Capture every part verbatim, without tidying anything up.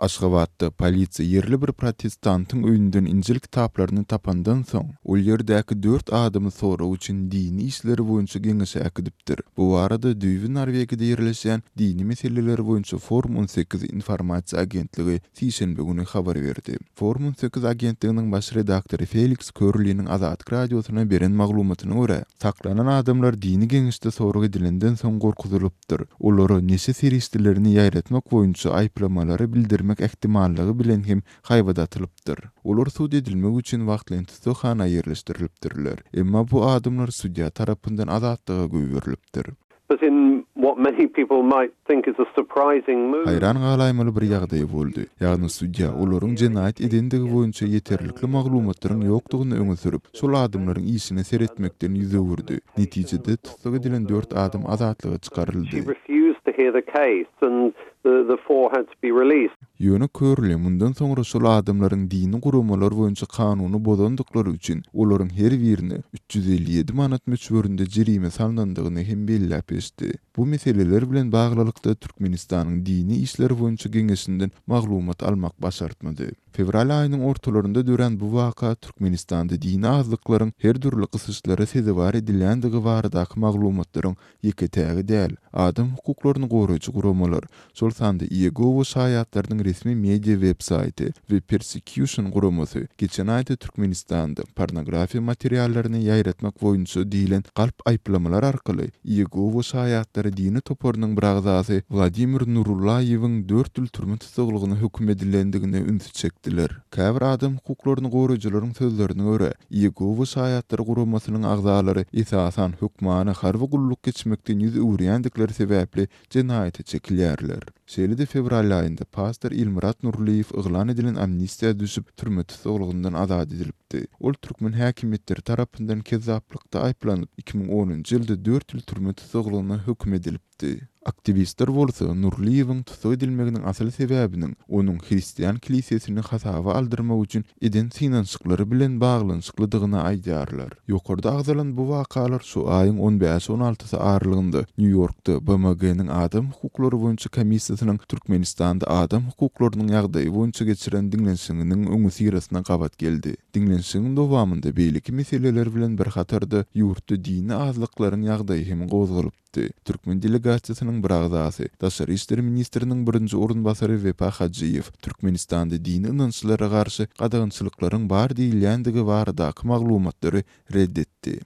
Aşgabatda polisiýa ýerli bir protestantyň öýünden Injil kitaplaryny tapandan soň, ol ýerdäki dört adamy sorag üçin dini işleri boýunça geňeşe äkidipdir. Bu barada düýbi Norwegiýada ýerleşýän dini meseleler boýunça Forum on sekiz informasiýa agentligi sişenbe güni habar berdi. Forum on sekiz agentliginiň baş redaktory Feliks Körliniň Azatlyk radiosyna beren maglumatyna görä, saklanan adamlar dini geňeşde sorag edilenden soň gorkuzylypdyr. Olara neşe serişdelerini ýaýratmak boýunça aýyplamalary bildirmek ähtimallygy bilen hem haýbat atylypdyr. Olar sud edilmek üçin wagtlaýyn tussaghana ýerleşdirilipdirler. Emma bu adamlar sudýa tarapyndan azatlyga goýberilipdir. But in what many people might think is a surprising move. Haýran galaýmaly bir ýagdaý boldy. Ýagny sudýa olaryň jenaýat edendigi boýunça ýeterlikli maglumatlaryň ýokdugyny öňe sürüp, şol adamlaryň işine seretmekden ýüz öwürdi. Netijede tussag edilen dört adam azatlyga çykaryldy. She refused to hear the case and the, the four had to be released. Ýöne Körli mundan soňra şol adamlaryň dini guramalar boýunça kanuny bozandyklary üçin olaryň her birine üç ýüz elli ýedi manat möçberinde jerime salnandygyny hem belläp geçdi. Bu meseleler bilen baglylykda Türkmenistanyň dini işleri boýunça geňeşinden maglumat almak başartmady. Fewral aýynyň ortalarynda dörän bu waka Türkmenistanda dini azlyklaryň her dürli gysyşlara sezewar edilýändigi baradaky maglumatlaryň ýeke-tägi däl. Adam hukuklaryny goraýjy guramalar, şol sanda Iýegowa şaýatlarynyň resmi media web-saýty we Persecution guramasy geçen aýda Türkmenistanda pornografiýa materiallaryny ýaýratmak boýunça diýlen galp aýyplamalar arkaly Iýegowa şaýatlary dini toparynyň bir agzasy Wladimir Nurullaýewiň dört ýyl türme tussaglygyna höküm edilendigine ünsi çekdiler. Käbir adam hukuklaryny goraýjylaryň sözlerine görä, Iýegowa şaýatlary guramasynyň agzalary esasan hökmany harby gulluk geçmekden ýüz öwürýändikleri sebäpli jenaýata çekilýärler. Şeýle-de fewral aýynda pastor Ilmyrat Nurlyýew yglan edilen amnistiýa düşüp, türme tussaglygyndan azat edilipdi. Ol türkmen häkimiýetleri tarapyndan kezzaplykda aýyplanyp, iki müň onunjy ýylda dört ýyl türme tussaglygyna höküm edilipdi. Aktiwistler bolsa Nurlyýewiň tussag edilmeginiň asyl sebäbiniň onuň hristian kilisesini hasaba aldyrmak üçin eden synanyşyklary bilen baglanyşyklydygyny aýdýarlar. Ýokarda agzalan bu wakalar şu aýyň on bäş on altysy aralygynda Nýu-Ýorkda B M G-niň adam hukuklary boýunça komissiýasynyň Türkmenistanda adam hukuklarynyň ýagdaýy boýunça geçiren diňlenişiginiň öňüsyrasyna gabat geldi. Diňlenişigiň dowamynda beýleki meseleler bilen bir hatarda ýurtda dini azlyklaryň ýagdaýy hem gozgalypdy. Türkmen delegasiýasynyň bir agzasy, Daşary işler ministriniň birinji orunbasary Wepa Hajyýew Türkmenistanda dini ynançlara garşy gadagançylyklaryň bar diýilýändigi baradaky maglumatlary red etdi.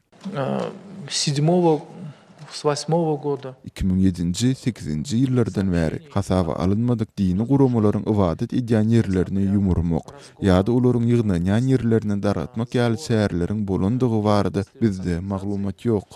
Седьмого, с восьмого года. Iki müň ýedinji, sekizinji ýyllardan bäri hasaba alynmadyk dini guramalaryň ybadat edýän ýerlerini ýumurmak ýa-da olaryň ýygnanýan ýerlerini daratmak ýaly çäreleriň bolandygy barada bizde maglumat ýok.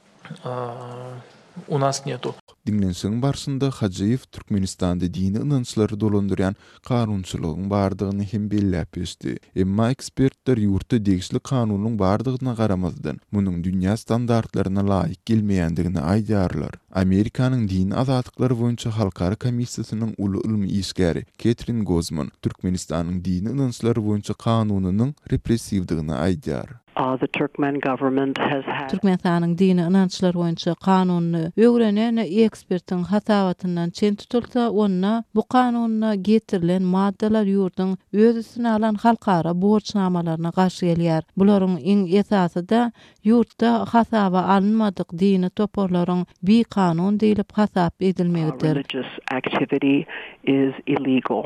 У нас нету. Diňlenişigiň barşynda Hajyýew Türkmenistanda dini ynançlary dolandyrýan kanunçylygyň bardygyny hem belläp geçdi. Emma ekspertler ýurtda degişli kanunyň bardygyna garamazdan, munuň dünýä standartlaryna laýyk gelmeýändigini aýdýarlar. Amerikanyň dini azatlyklary boýunça halkara komissiýasynyň uly ylmy işgäri Ketrin Gozman Türkmenistanyň dini ynançlary boýunça kanunynyň repressiwdigini aýdýar. Uh, the Turkmen government has had Türkmenistanyň dini ynançlary boýunça kanunyny öwrenen ekspertiň hasabatyndan çen tutulsa, onda bu kanuna getirilen maddalar ýurduň öz üstüne alan halkara borçnamalaryna garşy gelýär. Bularyň iň esasy da ýurtda hasaba alynmadyk dini toparlaryň bikanun diýlip hasap edilmegidir. Religious activity is illegal.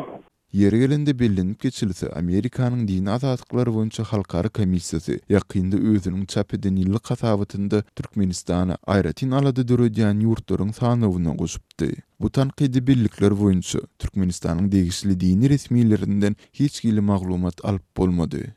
Ýeri gelende bellenip geçilse, Amerikanyň dini azatlyklary boýunça halkara komissiýasy ýakynda özüniň çap eden ýyllyk hasabatynda Türkmenistana aýratyn alada döredýän ýurtlaryň sanawyna goşupdy. Bu tankydy bellikler boýunça Türkmenistanyň degişli dini resmilerinden hiç hili maglumat alyp bolmady.